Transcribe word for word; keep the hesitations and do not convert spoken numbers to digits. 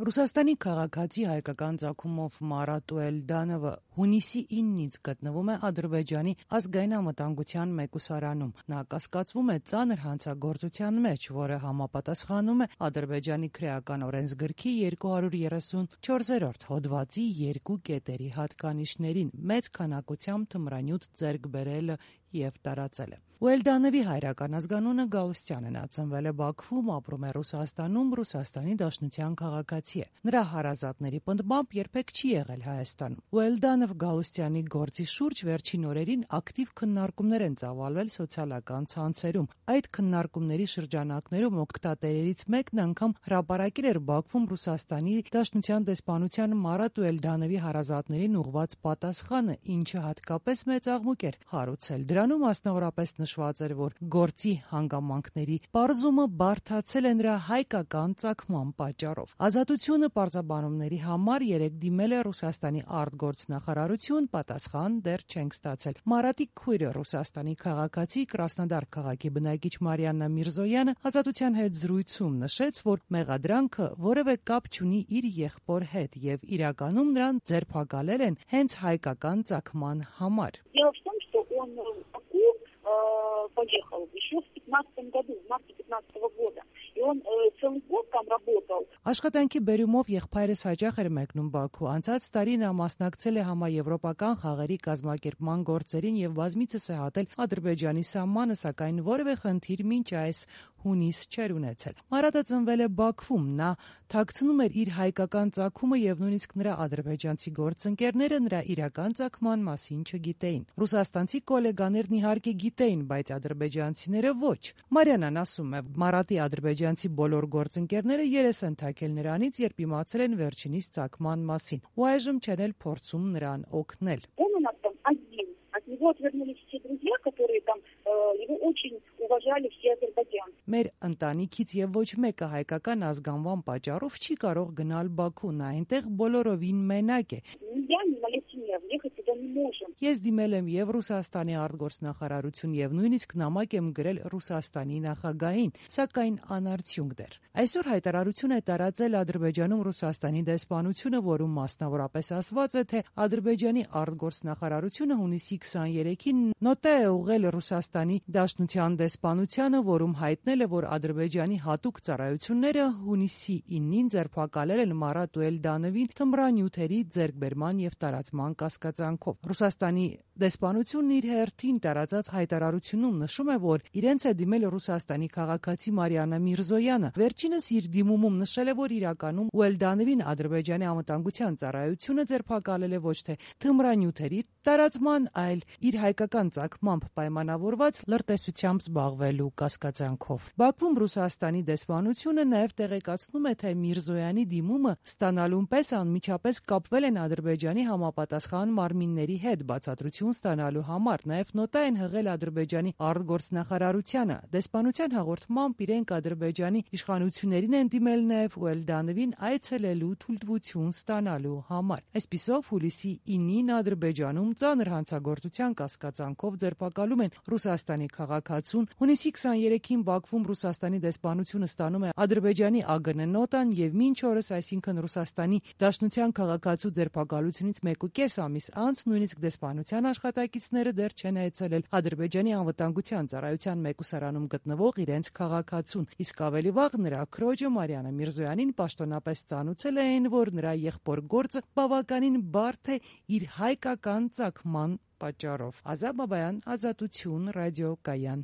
Ռուսաստանի քաղաքացի հայկական ծագումով Մարատ Ուելդանովը հունիսի իննից գտնվում է Ադրբեջանի ազգային անվտանգության մեկուսարանում։ Նա կասկածվում է ծանր հանցագործության մեջ, որը համապատասխանում է Ադրբեջանի քրեական օրենսգրքի երկու հարյուր երեսունչորսերորդ հոդվածի երկու կետերի հատկանիշներին՝ մեծ քանակությամբ թմրանյութ ձեռք բերելը և տարածելը։ Ուելդանովի հայրական ազգանունը Գաուսյան է, նա ծնվել է Բաքվում, ապրում է Ռուսաստանում, Ռուսաստանի Դաշնության քաղաքացի է։ Նրա հարազատների պնդմամբ երբեք չի եղել Հայաստանում։ Ուելդանով Գաուսյանի գործի շուրջ վերջին օրերին ակտիվ քննարկումներ են ծավալվել սոցիալական ցանցերում։ Այդ քննարկումների շրջանակներում օգտատերերից մեկն անգամ հրապարակել էր Բաքվում Ռուսաստանի Դաշնության դեսպանության Մարատ Ուելդանովի հարազատներին ուղղված պատասխանը, ինչը հատկապես մեծ աղմուկ էր հարուցել։ Դրանում մասնավորապես նշված էր, որ գործի հանգամանքների պարզումը բարդացել է նրա հայկական ծագման պատճառով։ Ազատությունը պարզաբանումների համար երեկ դիմել է Ռուսաստանի արտգործնախարարություն, պատասխան դեռ չենք ստացել։ Մարատի քույրը, Ռուսաստանի քաղաքացի, Կրասնոդար քաղաքի բնակիչ Մարիաննա Միրզոյանը Ազատության հետ զրույցում նշեց, որ մեղադրանքը որևէ կապ չունի իր եղբոր հետ եւ իրականում նրան ձերբակալել են հենց հայկական ծագման համար։ Поехал еще в пятнадцатом году, в марте пятнадцатого года. И он э, целый год там работал. Աշխատանքի բերումով եղբայրս հաճախ էր մեկնում Բաքու։ Անցած տարի նա մասնակցել է համաեվրոպական խաղերի կազմակերպման գործերին եւ բազմիցս է հատել Ադրբեջանի սահմանը, սակայն որևէ խնդիր մինչ այս հունիս չէր ունեցել։ Մարատը ծնվել է Բաքվում, նա թաքցնում էր իր հայկական ծագումը եւ նույնիսկ նրա ադրբեջանցի գործընկերները նրա իրական ծագման մասին չգիտեին։ Ռուսաստանցի գոլեգաներն իհարկե գիտեին, բայց ադրբեջանցիները ոչ։ Մարիանան ասում է, Մարատի ադրբեջանցի բոլոր գործընկերները երես են թակել նրանից, երբ իմացել են վերջինիս ծագման մասին, ու այժմ չեն էլ փորձում նրան օգնել։ От него отвернулись все друзья, которые там э, его очень уважали все азербайджанцы. Մեր ընտանիքից եւ ոչ մեկը հայկական ազգանվան պատճառով չի կարող գնալ Բաքու, նա այնտեղ բոլորովին մենակ է։ Я не налетела, ехать туда не можем. Ես դիմել եմ եւ Ռուսաստանի արտգործնախարարություն եւ նույնիսկ նամակ եմ գրել Ռուսաստանի նախագահին, սակայն անարդյունք դեռ։ Այսօր հայտարարություն է տարածել Ադրբեջանում Ռուսաստանի դեսպանությունը, որում մասնավորապես ասված է, թե Ադրբեջանի արտգործնախարարությունը հունիսի քսաներեքին նոտա է ուղղել Ռուսաստանի Դաշնության դեսպանությանը, որում հայտնել է, որ Ադրբեջանի հատուկ ծառայությունները հունիսի իննին ձերբակալել են Մարատ Ուելդանովին թմրանյութերի ձեռքբերման եւ տարածման կասկածանքով։ Ռուսաստանի դեսպանությունն իր հերթին տարածած հայտարարությունում նշում է, որ իրենց է դիմել Ռուսաստանի քաղաքացի Մարիաննա Միրզոյանը։ Վերջինս իր դիմումում նշել է, որ իրականում Ուելդանովին Ադրբեջանի անվտանգության ծառայությունը ձերբակալել է ոչ թե թմրանյութերի տարածման, այլ իր հայկական ծագմամբ պայմանավորված լրտեսությամբ զբաղվելու կասկածանքով։ Բաքվում Ռուսաստանի դեսպանությունը նաև տեղեկացնում է, թե Միրզոյանի դիմումը ստանալուն պես անմիջապես կապվել են Ադրբեջանի համապատասխան մարմինների հետ բացատրություն ստանալու համար, նաև նոտա են հղել Ադրբեջանի արտգործնախարարությանը։ Դեսպանության հաղորդմամբ իրենք Ադրբեջանի իշխանություններին են դիմել նաև Ուելդանովին այցելելու թույլտվություն ստանալու համար։ Այսպիսով հուլիսի իննին Ադրբեջանում ծանր հանցագործության կասկածանքով ձերբակալում են Ռուսաստանի քաղաքացուն։ Հունիսի քսաներեքին Բաքվում Ռուսաստանի դեսպանությունը ստանում է Ադրբեջանի ԱԳՆ նոտան եւ մինչ օրս, այսինքն Ռուսաստանի Դաշնության քաղաքացու ձերբակալությունից մեկուկես ամիս անց նույնիսկ դեսպանության աշխատակիցները դեռ չեն այցելել Ադրբեջանի անվտանգության ծառայության մեկուսարանում գտնվող իրենց քաղաքացուն, իսկ ավելի վաղ նրա քրոջը Մարիաննա Միրզոյանին պաշտոնապես ծանուցել էին, որ նրա եղբոր գործը բավականին բարդ է իր հայկական ծագման պատճառով։ Ազատ Բաբայան, Ազատություն, ռադիոկայան։